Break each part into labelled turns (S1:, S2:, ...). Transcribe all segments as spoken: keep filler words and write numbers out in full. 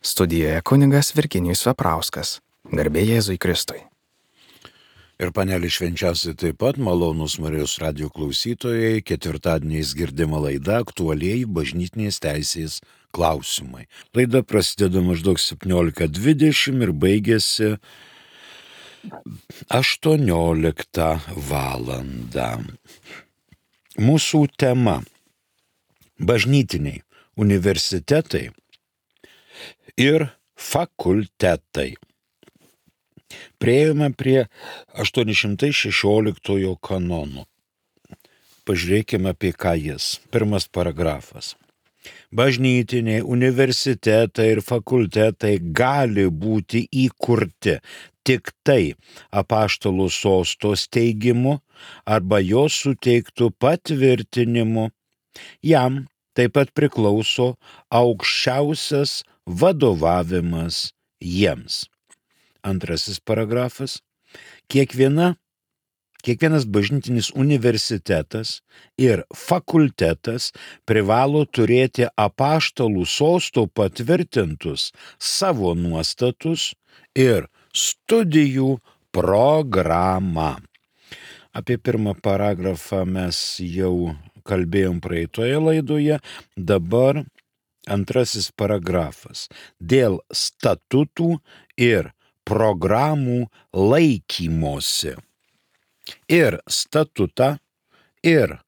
S1: Studijoje kunigas Virginijus Veprauskas. Garbė Jėzui Kristui.
S2: Ir panelį švenčiausiai taip pat malonūs Marijos radijo klausytojai, ketvirtadieniais girdima laida aktualieji bažnytinės teisės klausimai. Laida prasideda maždaug septyniolika dvidešimt ir baigėsi aštuonioliktą valandą. Mūsų tema - bažnytiniai universitetai ir fakultetai. Priėjome prie aštuoni šimtai šešioliktojo kanono. Pažiūrėkime, apie ką jis. Pirmas paragrafas. Bažnytiniai universitetai ir fakultetai gali būti įkurti tik tai apaštalų sosto steigimu arba jo suteiktų patvirtinimu. Jam taip pat priklauso aukščiausias vadovavimas jiems. Antrasis paragrafas. Kiekviena, kiekvienas bažnytinis universitetas ir fakultetas privalo turėti apaštalų sosto patvirtintus savo nuostatus ir studijų programą. Apie pirmą paragrafą mes jau kalbėjom praeitoje laidoje, dabar antrasis paragrafas. Dėl statutų ir programų laikymosi. Ir statutą, ir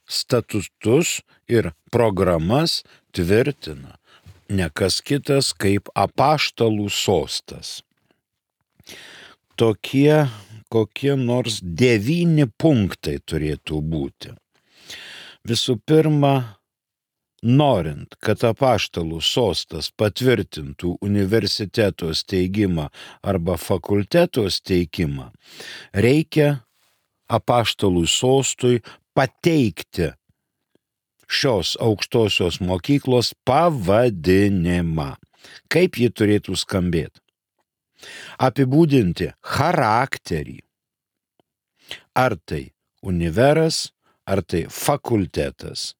S2: statutus, ir programas tvirtina ne kas kitas kaip apaštalų sostas. Tokie kokie nors devyni punktai turėtų būti. Visų pirma, norint, kad apaštalų sostas patvirtintų universiteto steigimą arba fakulteto steigimą, reikia apaštalų sostui pateikti šios aukštosios mokyklos pavadinimą. Kaip ji turėtų skambėti? Apibūdinti charakterį. Ar tai univeras, ar tai fakultetas.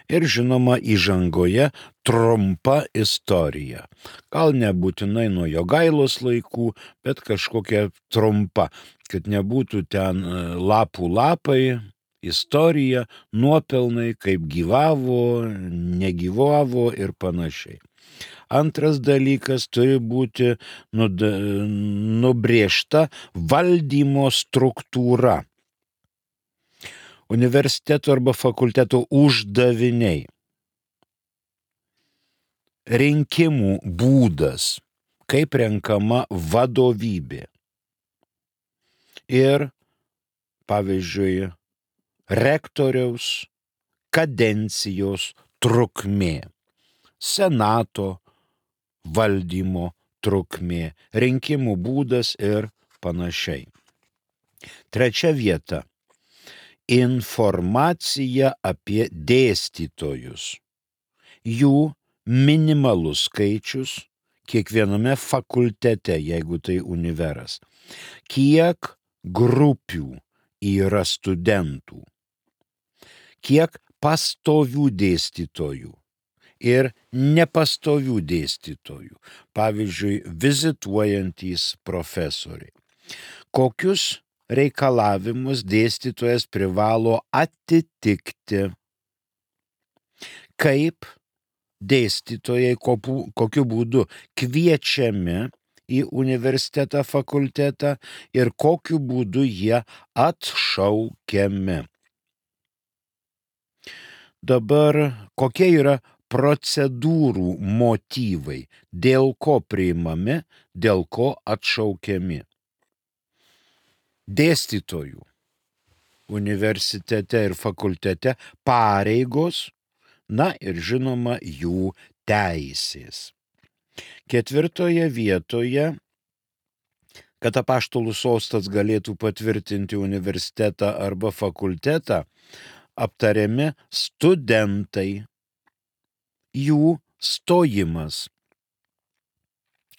S2: Ir žinoma, įžangoje trumpa istorija. Gal nebūtinai nuo Jogailos laikų, bet kažkokia trumpa, kad nebūtų ten lapų lapai, istorija, nuopelnai, kaip gyvavo, negyvavo ir panašiai. Antras dalykas turi būti nubrėžta valdymo struktūra. Universiteto arba fakulteto uždaviniai. Rinkimų būdas, kaip renkama vadovybė. Ir, pavyzdžiui, rektoriaus kadencijos trukmė. Senato valdymo trukmė, rinkimų būdas ir panašiai. Trečia vieta. Informacija apie dėstytojus. Jų minimalus skaičius kiekviename fakultete, jeigu tai univeras. Kiek grupių yra studentų. Kiek pastovių dėstytojų ir nepastovių dėstytojų. Pavyzdžiui, vizituojantys profesoriai. Kokius reikalavimus dėstytojas privalo atitikti. Kaip dėstytojai kokiu būdu kviečiami į universitetą, fakultetą ir kokiu būdu jie atšaukiami. Dabar kokie yra procedūrų motyvai, dėl ko priimami, dėl ko atšaukiami. Dėstytojų universitete ir fakultete pareigos, na ir žinoma jų teisės. Ketvirtoje vietoje, kad apaštalų sostas galėtų patvirtinti universitetą arba fakultetą, aptariami studentai, jų stojimas.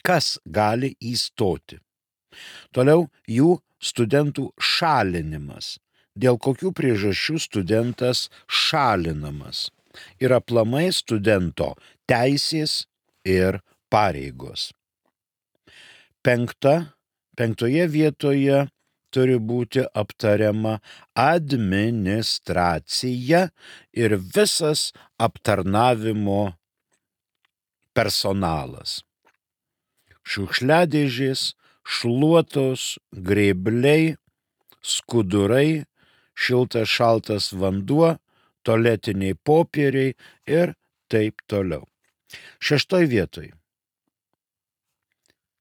S2: Kas gali įstoti? Toliau jų studentų šalinimas. Dėl kokių priežasčių studentas šalinamas. Ir aplamai studento teisės ir pareigos. Penkta, penktoje vietoje turi būti aptariama administracija ir visas aptarnavimo personalas. Šiukšliadėžės, šluotos, grėbliai, skudurai, šiltas šaltas vanduo, tualetiniai popieriai ir taip toliau. Šeštoj vietoj.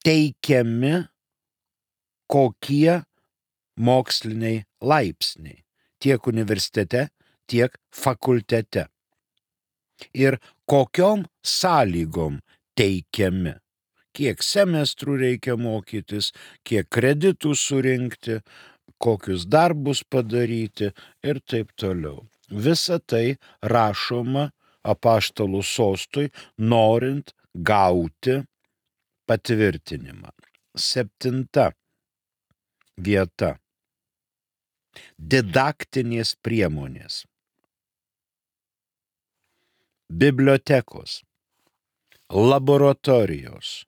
S2: Teikiami kokie moksliniai laipsniai tiek universitete, tiek fakultete. Ir kokiom sąlygom teikiami. Kiek semestrų reikia mokytis, kiek kreditų surinkti, kokius darbus padaryti ir taip toliau. Visa tai rašoma apaštalų sostui, norint gauti patvirtinimą. Septinta vieta. Didaktinės priemonės. Bibliotekos, laboratorijos,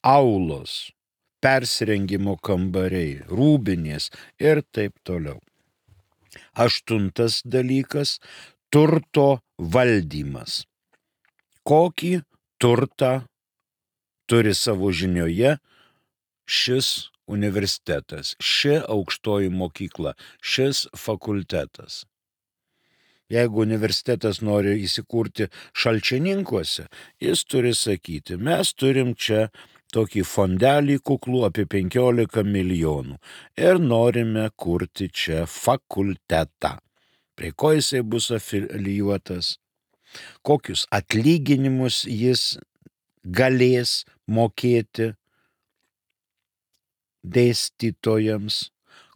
S2: aulos, persirengimo kambariai, rūbinės ir taip toliau. Aštuntas dalykas – turto valdymas. Kokį turtą turi savo žinioje šis universitetas, ši aukštoji mokykla, šis fakultetas. Jeigu universitetas nori įsikurti Šalčininkuose, jis turi sakyti, mes turim čia tokį fondelį kuklų apie penkiolika milijonų ir norime kurti čia fakultetą. Prie ko jisai bus afilijuotas, kokius atlyginimus jis galės mokėti dėstytojams,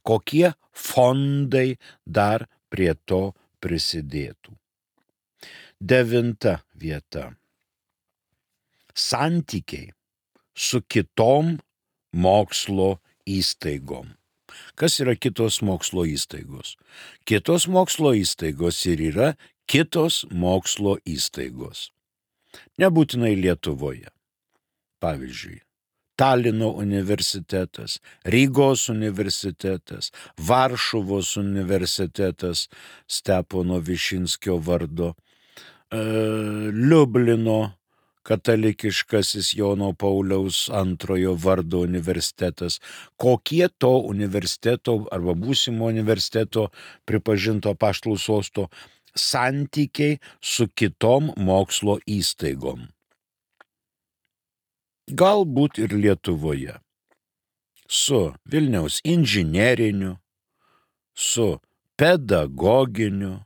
S2: kokie fondai dar prie to prisidėtų. Devinta vieta. Santykiai su kitom mokslo įstaigom. Kas yra kitos mokslo įstaigos? Kitos mokslo įstaigos ir yra kitos mokslo įstaigos. Nebūtinai Lietuvoje. Pavyzdžiui, Talino universitetas, Rygos universitetas, Varšuvos universitetas Stepono Višinskio vardo, e, Liublino katalikiškasis Jono Pauliaus antrojo vardo universitetas. Kokie to universiteto arba būsimo universiteto pripažinto apaštalų sosto santykiai su kitom mokslo įstaigom. Galbūt ir Lietuvoje. Su Vilniaus inžineriniu, su pedagoginiu,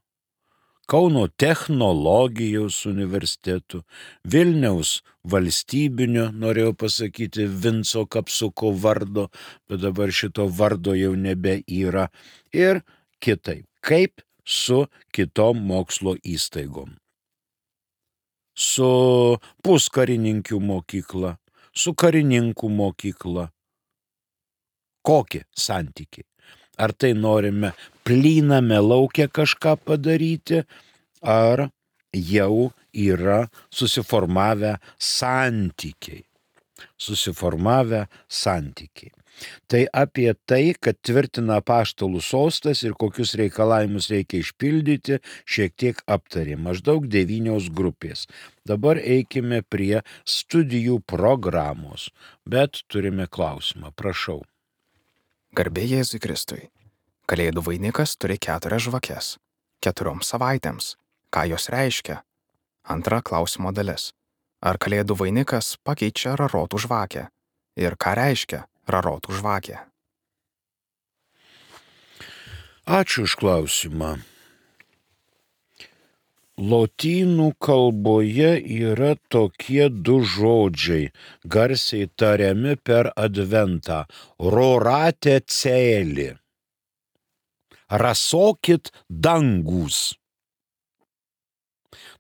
S2: Kauno technologijos universitetu, Vilniaus valstybinio, norėjau pasakyti, Vinco Kapsuko vardo, bet dabar šito vardo jau nebe yra, ir kitaip, kaip su kitom mokslo įstaigom. Su puskarininkių mokykla, su karininkų mokykla. Kokie santykiai? Ar tai norime plyname lauke kažką padaryti, ar jau yra susiformavę santykiai. Susiformavę santykiai. Tai apie tai, kad tvirtina apaštalų sostas ir kokius reikalavimus reikia išpildyti, šiek tiek aptarė. Maždaug devynios grupės. Dabar eikime prie studijų programos, bet turime klausimą. Prašau.
S1: Garbė Jėzui Kristui. Kalėdų vainikas turi keturias žvakes. Keturioms savaitėms. Ką jos reiškia? Antra klausimo dalis. Ar kalėdų vainikas pakeičia rarotų žvakę? Ir ką reiškia rarotų žvakė?
S2: Ačiū už klausimą. Lotynų kalboje yra tokie du žodžiai, garsiai tariami per adventą. Rorate celi. Rasokit dangus.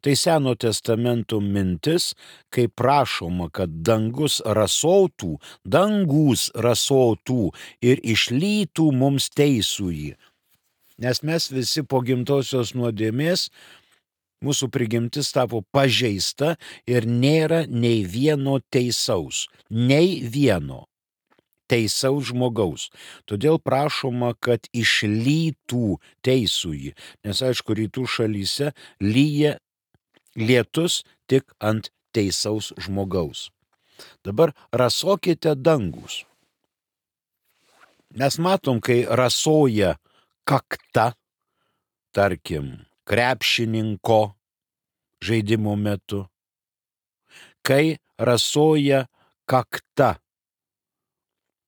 S2: Tai Seno testamento mintis, kai prašoma, kad dangus rasotų, dangus rasotų ir išlytų mums teisųjį. Nes mes visi po gimtosios nuodėmės mūsų prigimtis tapo pažeista ir nėra nei vieno teisaus, nei vieno teisaus žmogaus. Todėl prašoma, kad išlytų teisųjį, nes aišku, rytų šalyse lyja lietus tik ant teisaus žmogaus. Dabar rasokite dangus. Mes matom, kai rasoja kakta, tarkim, krepšininko žaidimo metu, kai rasoja kakta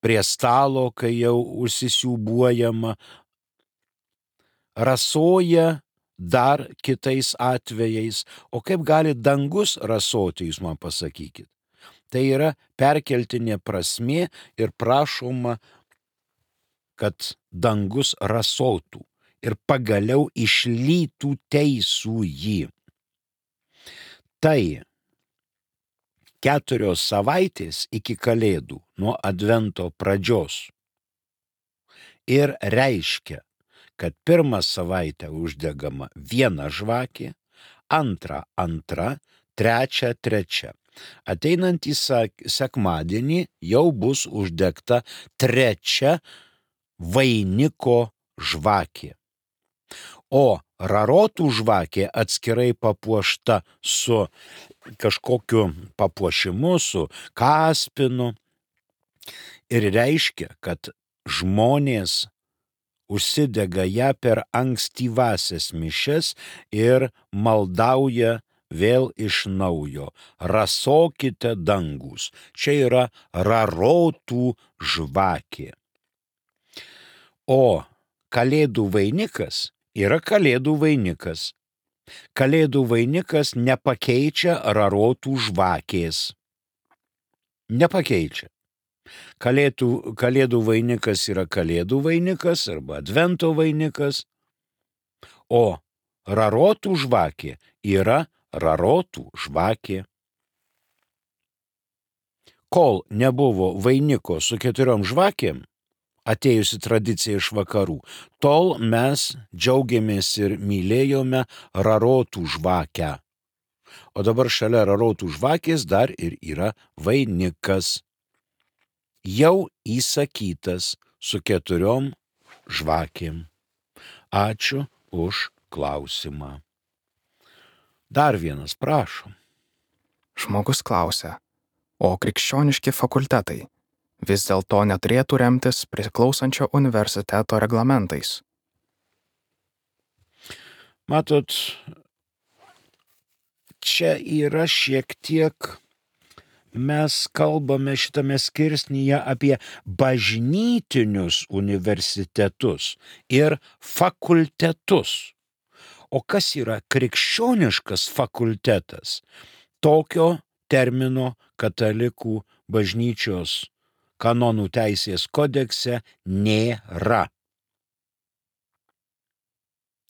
S2: prie stalo, kai jau užsisiūbuojama, rasoja dar kitais atvejais. O kaip gali dangus rasoti, jūs man pasakykit? Tai yra perkeltinė prasmė ir prašoma, kad dangus rasotų ir pagaliau išlytų teisųjį. Tai keturios savaitės iki Kalėdų nuo Advento pradžios ir reiškia, kad pirmą savaitę uždegama viena žvakė, antrą antra, trečia trečia. Ateinantį sekmadienį jau bus uždegta trečia vainiko žvakė. O rarotų žvakė atskirai papuošta su kažkokiu papuošimu, su kaspinu ir reiškia, kad žmonės užsidega ją per ankstyvasias mišias ir maldauja vėl iš naujo. Rasokite dangus. Čia yra rarotų žvakė. O Kalėdų vainikas yra Kalėdų vainikas. Kalėdų vainikas nepakeičia rarotų žvakės. Nepakeičia. Kalėdų, kalėdų vainikas yra Kalėdų vainikas arba Advento vainikas, o rarotų žvakė yra rarotų žvakė. Kol nebuvo vainiko su keturiom žvakėm, atėjusi tradicija iš vakarų, tol mes džiaugiamės ir mylėjome rarotų žvakę. O dabar šalia rarotų žvakės dar ir yra vainikas. Jau įsakytas su keturiom žvakėm. Ačiū už klausimą. Dar vienas, prašom.
S1: Žmogus klausia, o krikščioniški fakultetai vis dėlto neturėtų remtis priklausančio universiteto reglamentais?
S2: Matot, čia yra šiek tiek, mes kalbame šitame skirsnyje apie bažnytinius universitetus ir fakultetus. O kas yra krikščioniškas fakultetas? Tokio termino katalikų bažnyčios kanonų teisės kodekse nėra.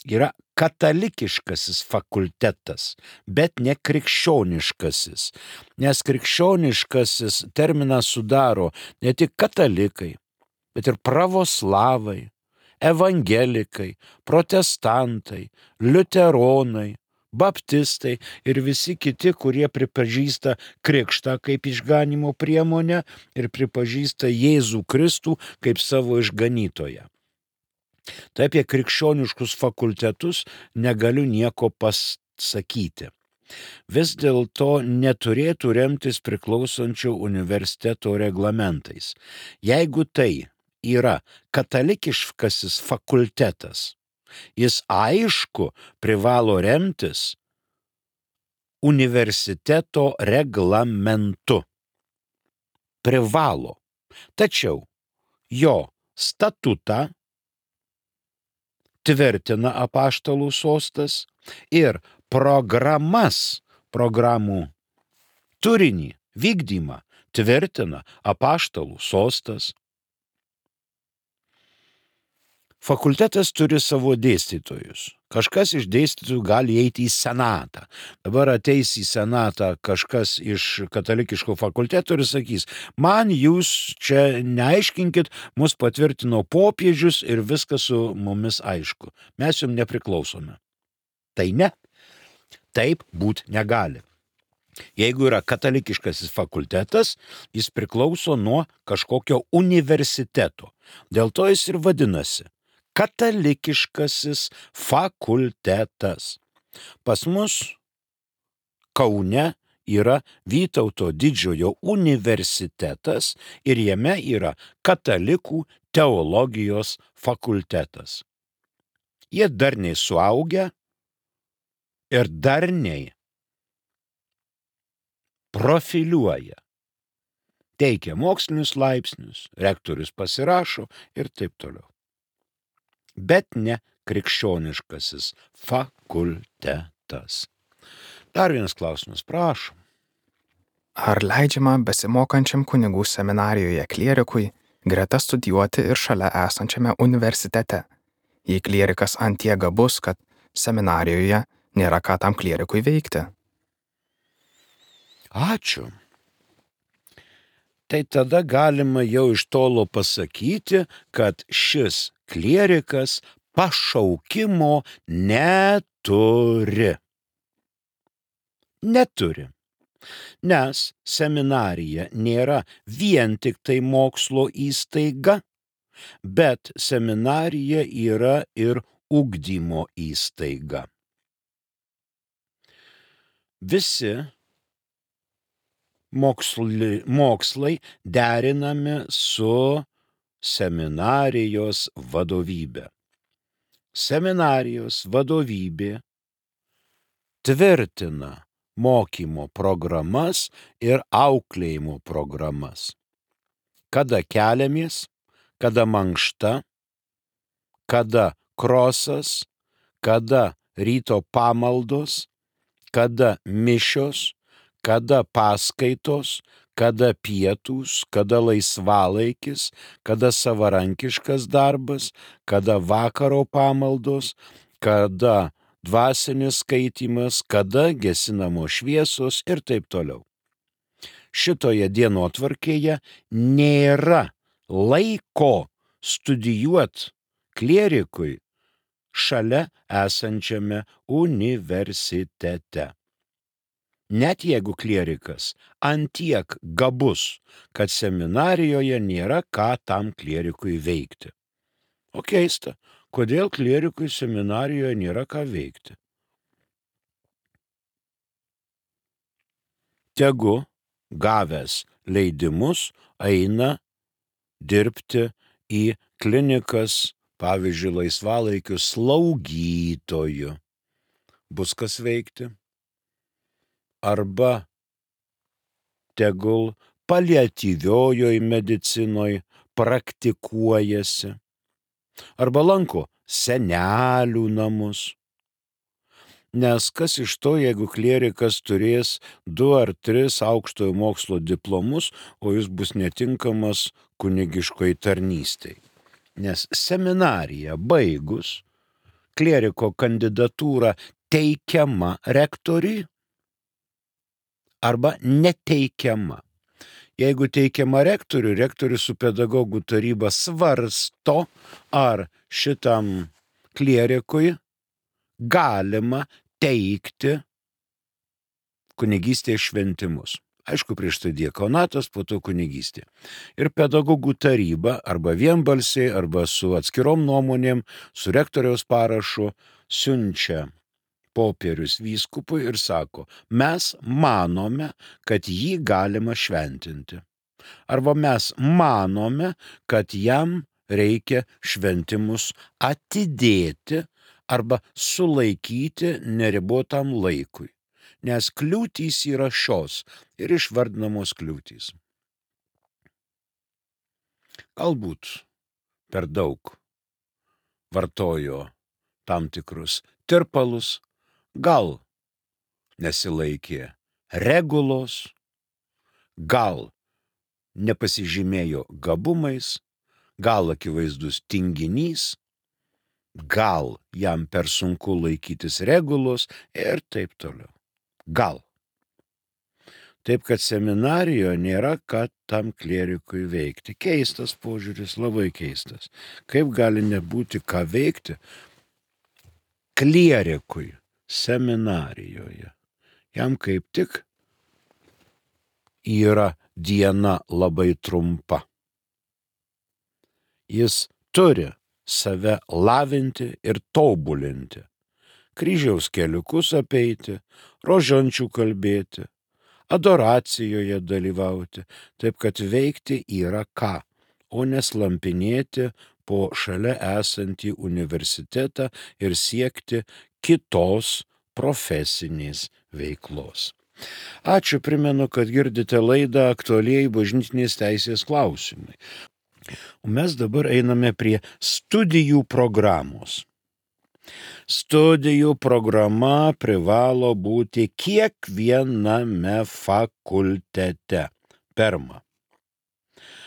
S2: Yra katalikiškasis fakultetas, bet ne krikščioniškasis, nes krikščioniškasis terminą sudaro ne tik katalikai, bet ir pravoslavai, evangelikai, protestantai, liuteronai, baptistai ir visi kiti, kurie pripažįsta krikštą kaip išganymo priemonę ir pripažįsta Jėzų Kristų kaip savo išganytoją. Tai apie krikščioniškus fakultetus negaliu nieko pasakyti. Vis dėlto neturėtų remtis priklausančio universiteto reglamentais. Jeigu tai yra katalikiškasis fakultetas, jis aišku privalo remtis universiteto reglamentu. Privalo. Tačiau jo statutą tvirtina apaštalų sostas ir programas, programų turinį, vykdymą tvirtina apaštalų sostas. Fakultetas turi savo dėstytojus. Kažkas iš dėstytojų gali eiti į senatą. Dabar ateis į senatą kažkas iš katalikiško fakulteto ir sakys, man jūs čia neaiškinkit, mus patvirtino popiežius ir viskas su mumis aišku. Mes jums nepriklausome. Tai ne. Taip būti negali. Jeigu yra katalikiškasis fakultetas, jis priklauso nuo kažkokio universiteto. Dėl to jis ir vadinasi katalikiškasis fakultetas. Pas mus Kaune yra Vytauto didžiojo universitetas ir jame yra katalikų teologijos fakultetas. Jie darniai suaugę ir darniai profiliuoja. Teikia mokslinius laipsnius, rektorius pasirašo ir taip toliau. Bet ne krikščioniškasis fakultetas. Dar vienas klausimas, prašom.
S1: Ar leidžiama besimokančiam kunigų seminarijoje klierikui greta studijuoti ir šalia esančiame universitete, jei klierikas antiek gabus, kad seminarijoje nėra ką tam klierikui veikti?
S2: Ačiū. Tai tada galima jau iš tolo pasakyti, kad šis klierikas pašaukimo neturi. Neturi. Nes seminarija nėra vien tik tai mokslo įstaiga, bet seminarija yra ir ugdymo įstaiga. Visi mokslai, mokslai derinami su seminarijos vadovybė. Seminarijos vadovybė tvirtina mokymo programas ir auklėjimo programas. Kada keliamės, kada mankšta, kada krosas, kada ryto pamaldos, kada mišios, kada paskaitos, kada pietūs, kada laisvalaikis, kada savarankiškas darbas, kada vakaro pamaldos, kada dvasinis skaitymas, kada gesinamos šviesos ir taip toliau. Šitoje dienotvarkėje nėra laiko studijuoti klierikui šalia esančiame universitete. Net jeigu klierikas antiek gabus, kad seminarijoje nėra ką tam klierikui veikti. O keista, kodėl klierikui seminarijoje nėra ką veikti? Tegu gavęs leidimus eina dirbti į klinikas, pavyzdžiui, laisvalaikių slaugytojų. Bus kas veikti? Arba tegul paliatyviojoj medicinoj praktikuojasi. Arba lanko senelių namus. Nes kas iš to, jeigu klierikas turės du ar tris aukštojo mokslo diplomus, o jis bus netinkamas kunigiškoj tarnystei. Nes seminariją baigus, klieriko kandidatūra teikiama rektoriui arba neteikiama. Jeigu teikiama rektoriui, rektorius su pedagogų taryba svarsto, ar šitam klierikui galima teikti kunigystės šventimus. Aišku, prieš tai diakonatas, po to kunigystė. Ir pedagogų taryba arba vienbalsiai, arba su atskirom nuomonėm, su rektoriaus parašu siunčia popierius vyskupui ir sako, mes manome, kad jį galima šventinti. Arba mes manome, kad jam reikia šventimus atidėti arba sulaikyti neribotam laikui. Nes kliūtys yra šios ir išvardinamos kliūtys. Galbūt per daug vartojo tam tikrus tirpalus, gal nesilaikė regulos, gal nepasižymėjo gabumais, gal akivaizdus tinginys, gal jam per sunku laikytis regulos ir taip toliau. Gal. Taip, kad seminarijoje nėra ką tam klierikui veikti. Keistas požiūris, labai keistas. Kaip gali nebūti ką veikti klierikui seminarijoje. Jam kaip tik yra diena labai trumpa. Jis turi save lavinti ir tobulinti, kryžiaus keliukus apeiti, rožančių kalbėti, adoracijoje dalyvauti, taip kad veikti yra ką, o neslampinėti po šalia esantį universitetą ir siekti kitos profesinės veiklos. Ačiū, primenu, kad girdite laidą Aktualieji bažnytinės teisės klausimai. O mes dabar einame prie studijų programos. Studijų programa privalo būti kiekviename fakultete. Pirma.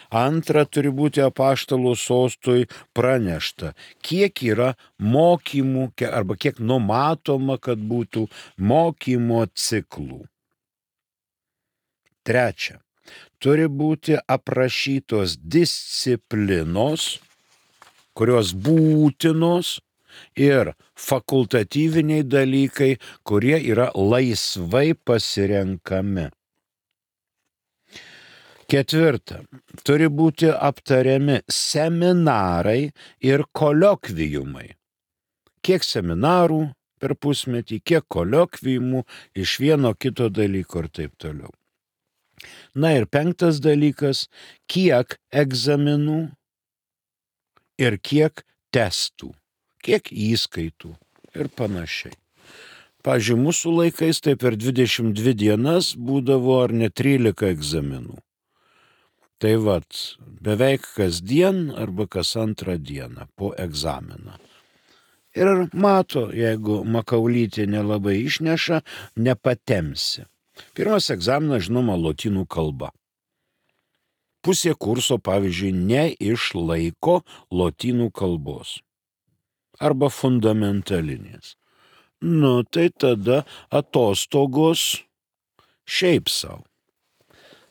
S2: Antra, turi būti apaštalų sostui pranešta, kiek yra mokymų arba kiek numatoma, kad būtų mokymo ciklų. Trečia. Turi būti aprašytos disciplinos, kurios būtinos, ir fakultatyviniai dalykai, kurie yra laisvai pasirenkami. Ketvirta. Turi būti aptariami seminarai ir koliokviumai. Kiek seminarų per pusmetį, kiek koliokviumų iš vieno kito dalyko ir taip toliau. Na ir penktas dalykas, kiek egzaminų ir kiek testų, kiek įskaitų ir panašiai. Pavyzdžiui, mūsų laikais tai per dvidešimt dvi dienas būdavo ar ne trylika egzaminų. Tai vat, beveik kasdien arba kas antrą dieną po egzaminą. Ir mato, jeigu makaulytė nelabai išneša, nepatemsi. Pirmas egzaminas, žinoma, lotynų kalba. Pusė kurso, pavyzdžiui, neišlaiko lotynų kalbos. Arba fundamentalinės. Nu, tai tada atostogos šiaip savo.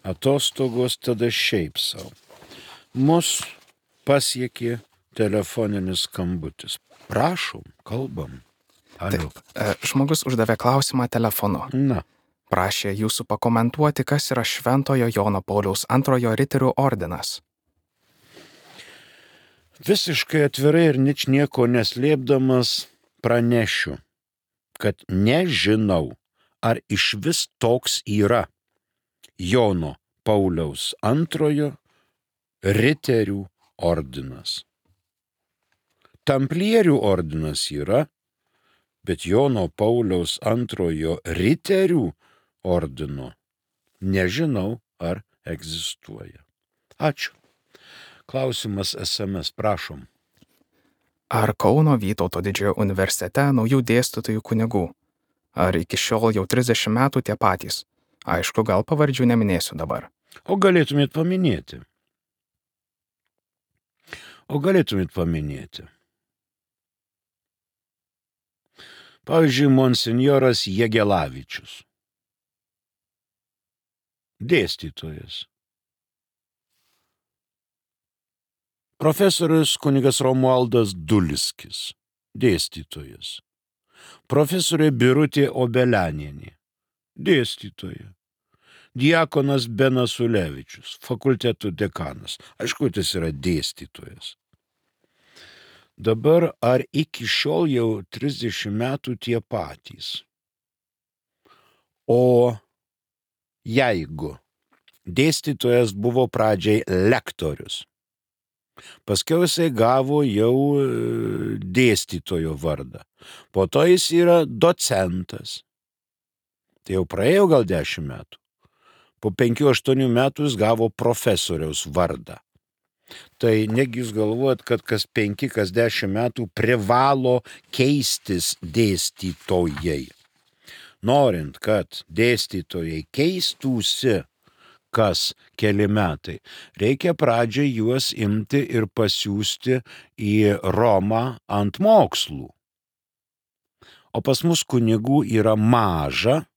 S2: Atostogos tada šiaip savo. Mus pasiekė telefoninis skambutis. Prašom, kalbam. Alio.
S1: Taip, žmogus uždavė klausimą telefonu.
S2: Na.
S1: Prašė jūsų pakomentuoti, kas yra Šventojo Jono Pauliaus antrojo riterių ordinas.
S2: Visiškai atvirai ir ničnieko neslėpdamas pranešiu, kad nežinau, ar iš vis toks yra Jono Pauliaus antrojo riterių ordinas. Tamplierių ordinas yra, bet Jono Pauliaus antrojo riterių ordino nežinau, ar egzistuoja. Ačiū. Klausimas es em es, prašom.
S1: Ar Kauno Vytauto didžiojo universitete naujų dėstytojų kunigų? Ar iki šiol jau trisdešimt metų tie patys? Aišku, gal pavardžių neminėsiu dabar.
S2: O galėtumėt paminėti. O galėtumėt paminėti. Pavyzdžiui, monsinjoras Jegelavičius. Dėstytojas. Profesorius kunigas Romualdas Dulskis. Dėstytojas. Profesorė Birutė Obelianienė. Dėstytoja. Diakonas Benas Ulevičius. Fakultetų dekanas. Aišku, jis yra dėstytojas. Dabar ar iki šiol jau trisdešimt metų tie patys? O jeigu dėstytojas buvo pradžiai lektorius, paskiau jisai gavo jau dėstytojo vardą, po to jis yra docentas, tai jau praėjo gal dešimt metų, po penkių aštuonių metų jis gavo profesoriaus vardą. Tai negi jūs galvojat, kad kas penki, kas dešimt metų privalo keistis dėstytojai. Norint, kad dėstytojai keistųsi kas keli metai, reikia pradžiai juos imti ir pasiųsti į Romą ant mokslų. O pas mus kunigų yra maža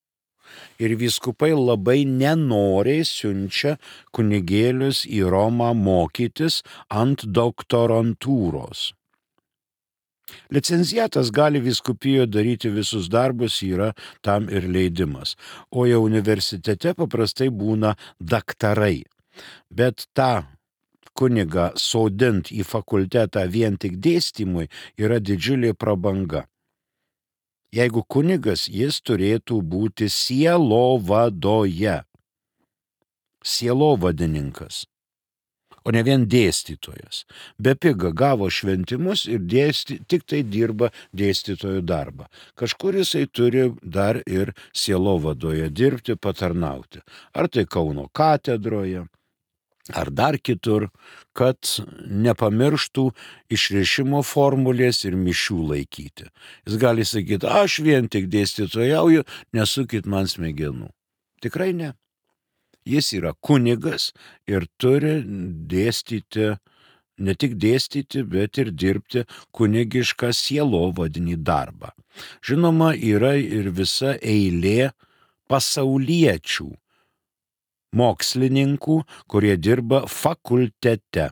S2: ir vyskupai labai nenoriai siunčia kunigėlius į Romą mokytis ant doktorantūros. Licenciatas gali vyskupijoje daryti visus darbus, yra tam ir leidimas. O jau universitete paprastai būna daktarai. Bet tą kunigą sodint į fakultetą vien tik dėstymui yra didžiulė prabanga. Jeigu kunigas, jis turėtų būti sielovadoje. Sielovadininkas, o ne vien dėstytojas. Bepiga gavo šventimus ir dėsty, tik tai dirba dėstytojo darbą. Kažkur jisai turi dar ir sielovadoje dirbti, patarnauti. Ar tai Kauno katedroje, ar dar kitur, kad nepamirštų išrišimo formulės ir mišių laikyti. Jis gali sakyti, aš vien tik dėstytojauju, nesukit man smegenų. Tikrai ne. Jis yra kunigas ir turi dėstyti, ne tik dėstyti, bet ir dirbti kunigišką sielovadinį darbą. Žinoma, yra ir visa eilė pasauliečių mokslininkų, kurie dirba fakultete,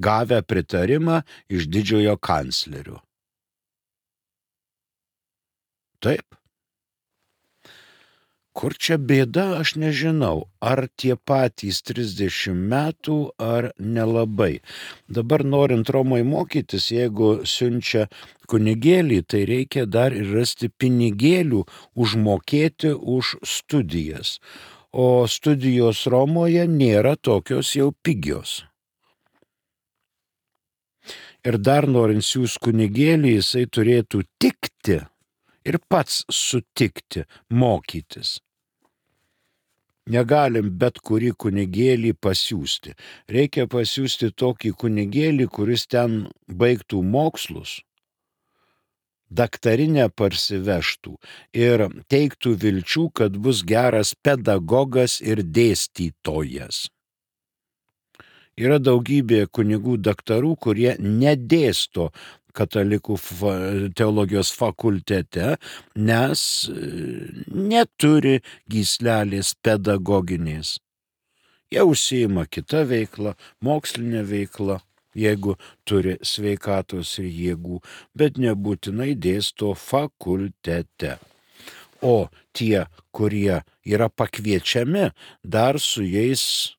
S2: gavę pritarimą iš didžiojo kanclerio. Taip. Kur čia bėda, aš nežinau, ar tie patys trisdešimt metų, ar nelabai. Dabar norint Romoje mokytis, jeigu siunčia kunigėlį, tai reikia dar ir rasti pinigėlių užmokėti už studijas. O studijos Romoje nėra tokios jau pigios. Ir dar norint siūs kunigėlį, jisai turėtų tikti ir pats sutikti mokytis. Negalim bet kurį kunigėlį pasiūsti. Reikia pasiūsti tokį kunigėlį, kuris ten baigtų mokslus, daktarinę parsivežtų ir teiktų vilčių, kad bus geras pedagogas ir dėstytojas. Yra daugybė kunigų daktarų, kurie nedėsto katalikų teologijos fakultete, nes neturi gyslelės pedagoginės. Jie užsiima kitą veiklą, mokslinę veiklą, jeigu turi sveikatos ir jėgų, bet nebūtinai dėsto fakultete. O tie, kurie yra pakviečiami, dar su jais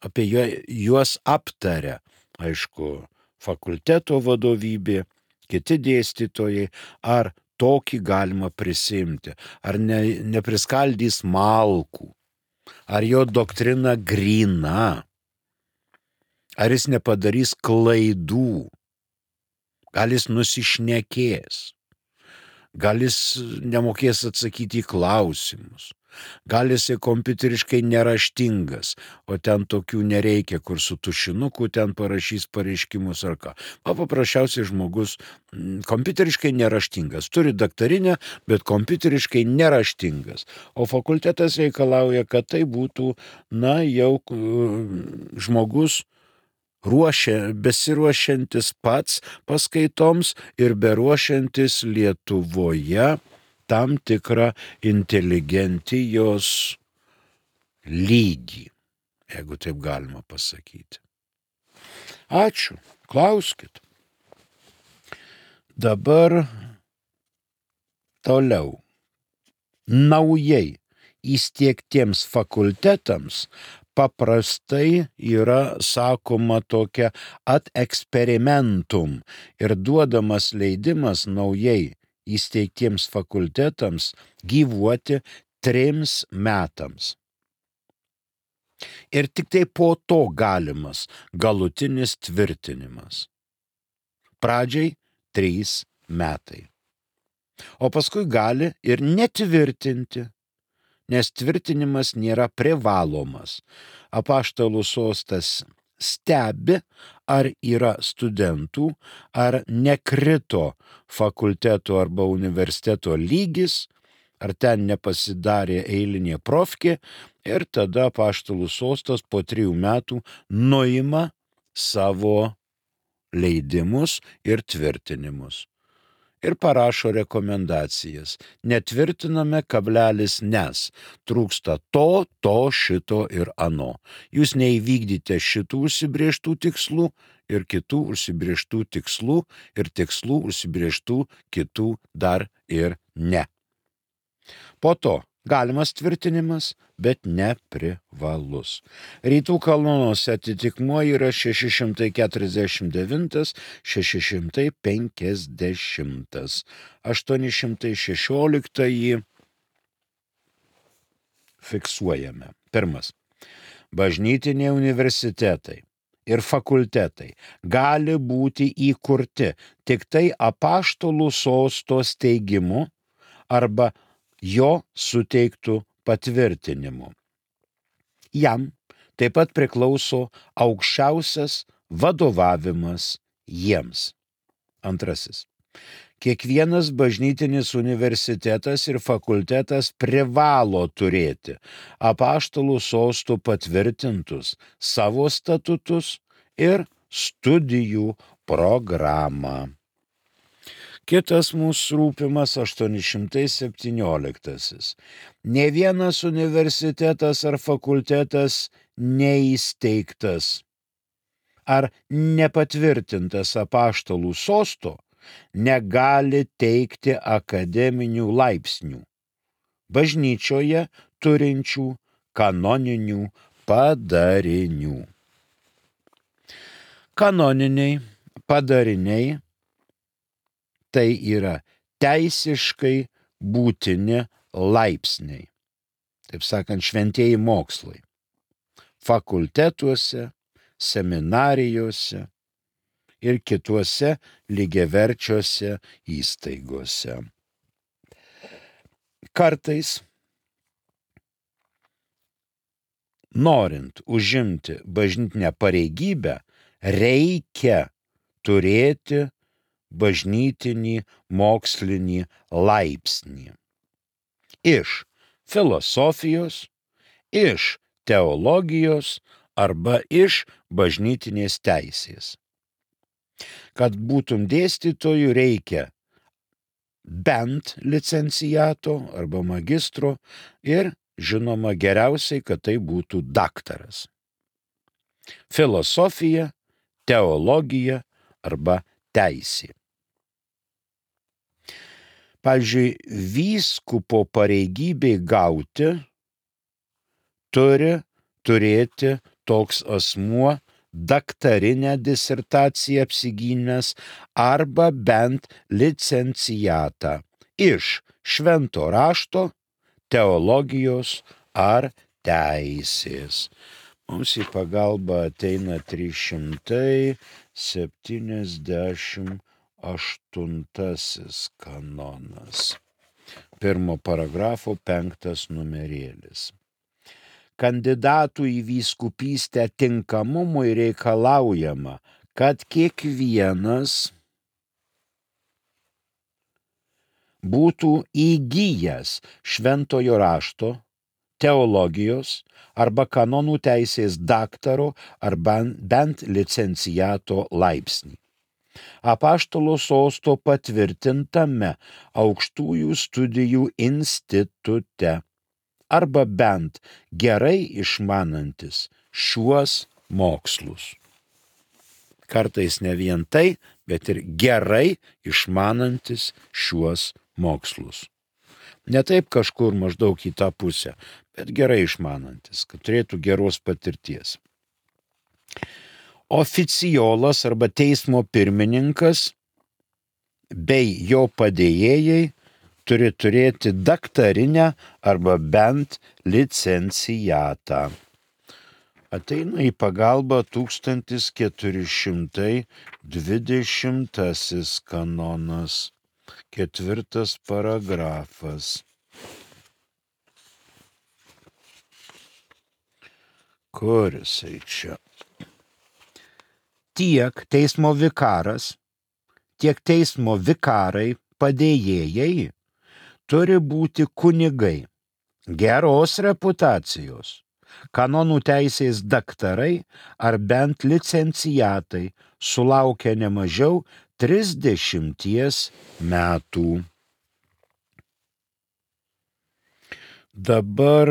S2: apie juos aptaria, aišku, fakulteto vadovybė, kiti dėstytojai, ar tokį galima prisimti, ar ne, nepriskaldys malkų, ar jo doktrina gryna, ar jis nepadarys klaidų, gal jis nusišnekės, gal jis nemokės atsakyti į klausimus, gal jis kompiuteriškai neraštingas, o ten tokių nereikia, kur su tušinuku ten parašys pareiškimus ar ką. O paprasčiausiai žmogus kompiuteriškai neraštingas, turi daktarinę, bet kompiuteriškai neraštingas. O fakultetas reikalauja, kad tai būtų, na, jau žmogus ruošia, besiruošiantis pats paskaitoms ir beruošiantis Lietuvoje tam tikrą inteligentijos lygį, jeigu taip galima pasakyti. Ačiū, klauskit. Dabar toliau. Naujai įsteigtiems fakultetams paprastai yra sakoma tokia ad experimentum ir duodamas leidimas naujai įsteigtiems fakultetams gyvuoti trims metams. Ir tik tai po to galimas galutinis tvirtinimas. Pradžiai trys metai. O paskui gali ir netvirtinti, nes tvirtinimas nėra privalomas. Apaštalų sostas stebi, ar yra studentų, ar nekrito fakulteto arba universiteto lygis, ar ten nepasidarė eilinė profkė, ir tada apaštalų sostas po trijų metų nuima savo leidimus ir tvirtinimus. ir parašo rekomendacijas. Netvirtiname kablelis nes. Trūksta to, to, šito ir ano. Jūs neįvykdyti šitų užsibrėžtų tikslų ir kitų užsibrėžtų tikslų ir tikslų užsibrėžtų kitų dar ir ne. Po to galimas tvirtinimas, bet neprivalus. Rytų kanonuose atitikmuo yra šeši šimtai keturiasdešimt devintas, šeši šimtai penkiasdešimtas, aštuoni šimtai šešioliktąjį fiksuojame. Pirmas. Bažnytiniai universitetai ir fakultetai gali būti įkurti tik tai apaštalų sosto steigimu arba jo suteiktų patvirtinimu. Jam taip pat priklauso aukščiausias vadovavimas jiems. Antrasis. Kiekvienas bažnytinis universitetas ir fakultetas privalo turėti apaštalų sostų patvirtintus savo statutus ir studijų programą. Kitas mūsų rūpimas aštuoni šimtai septynioliktasis. Ne vienas universitetas ar fakultetas neįsteigtas ar nepatvirtintas apaštalų sosto negali teikti akademinių laipsnių bažnyčioje turinčių kanoninių padarinių. Kanoniniai padariniai tai yra teisiškai būtini laipsniai, taip sakant, šventieji mokslai, fakultetuose, seminarijose ir kituose lygiaverčiuose įstaigose. Kartais, norint užimti bažnytinę pareigybę, reikia turėti bažnytinį mokslinį laipsnį. Iš filosofijos, iš teologijos arba iš bažnytinės teisės. Kad būtum dėstytoju, reikia bent licenciato arba magistro ir, žinoma, geriausiai, kad tai būtų daktaras. Filosofija, teologija arba teisė. Pavyzdžiui, vyskupo pareigybei gauti turi turėti toks asmuo daktarinę disertaciją apsigynęs arba bent licencijatą iš švento rašto, teologijos ar teisės. Mums į pagalbą ateina trys šimtai septyniasdešimt aštuntasis kanonas. Pirmo paragrafo penktas numerėlis. Kandidatų į vyskupystę tinkamumui reikalaujama, kad kiekvienas būtų įgijęs šventojo rašto, teologijos arba kanonų teisės daktaro arba bent licenciato laipsnį. Apaštalo sosto patvirtintame aukštųjų studijų institute arba bent gerai išmanantis šiuos mokslus. Kartais ne vien tai, bet ir gerai išmanantis šiuos mokslus. Ne taip kažkur maždaug į tą pusę, bet gerai išmanantis, kad turėtų geros patirties. Oficiolas arba teismo pirmininkas bei jo padėjėjai turi turėti daktarinę arba bent licencijatą. Ateina į pagalbą tūkstantis keturi šimtai dvidešimtasis kanonas, ketvirtas paragrafas. Kur jisai čia? Tiek teismo vikaras, tiek teismo vikarai padėjėjai turi būti kunigai, geros reputacijos, kanonų teisės daktarai ar bent licenciatai, sulaukę ne mažiau trisdešimties metų. Dabar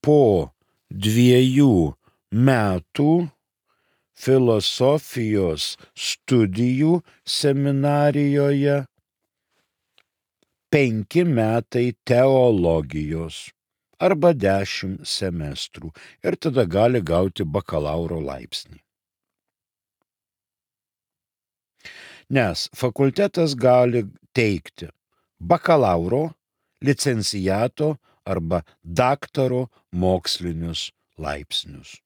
S2: po dviejų metų filosofijos studijų seminarijoje, penki metai teologijos arba dešimt semestrų ir tada gali gauti bakalauro laipsnį. Nes fakultetas gali teikti bakalauro, licenciato arba daktaro mokslinius laipsnius.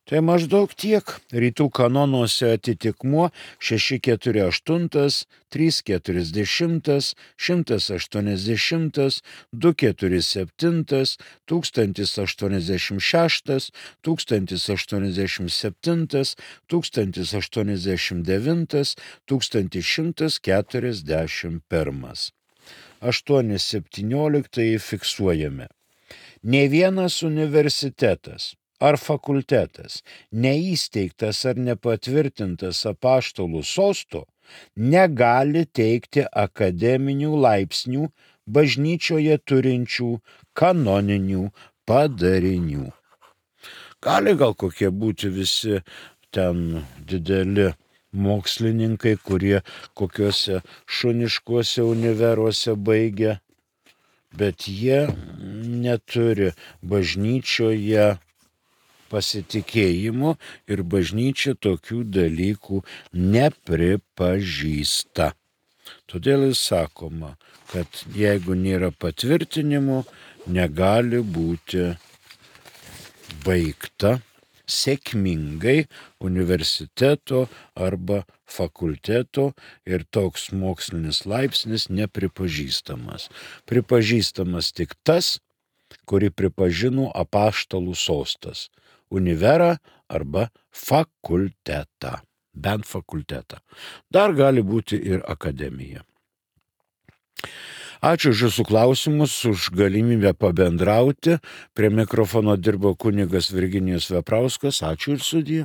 S2: Tai maždaug tiek. Rytų kanonuose atitikmuo šeši keturi aštuoni, trys keturiasdešimt, šimtas aštuoniasdešimt, du keturi septyni, tūkstantis aštuoniasdešimt šeštas, tūkstantis aštuoniasdešimt septintas, tūkstantis aštuoniasdešimt devintas, tūkstantis šimtas keturiasdešimt pirmas. aštuoni septynioliktieji fiksuojame. Nė vienas universitetas ar fakultetas, neįsteigtas ar nepatvirtintas apaštalų sosto, negali teikti akademinių laipsnių bažnyčioje turinčių kanoninių padarinių. Gali gal kokie būti visi ten dideli mokslininkai, kurie kokiuose šuniškuose univeruose baigia, bet jie neturi bažnyčioje pasitikėjimo ir bažnyčia tokių dalykų nepripažįsta. Todėl jis sakoma, kad jeigu nėra patvirtinimo, negali būti baigta sėkmingai universiteto arba fakulteto ir toks mokslinis laipsnis nepripažįstamas. Pripažįstamas tik tas, kurį pripažino apaštalų sostas. Univerą arba fakultetą, bent fakultetą. Dar gali būti ir akademija. Ačiū už jūsų klausimus, už galimybę pabendrauti. Prie mikrofono dirbo kunigas Virginijus Veprauskas. Ačiū ir sudie.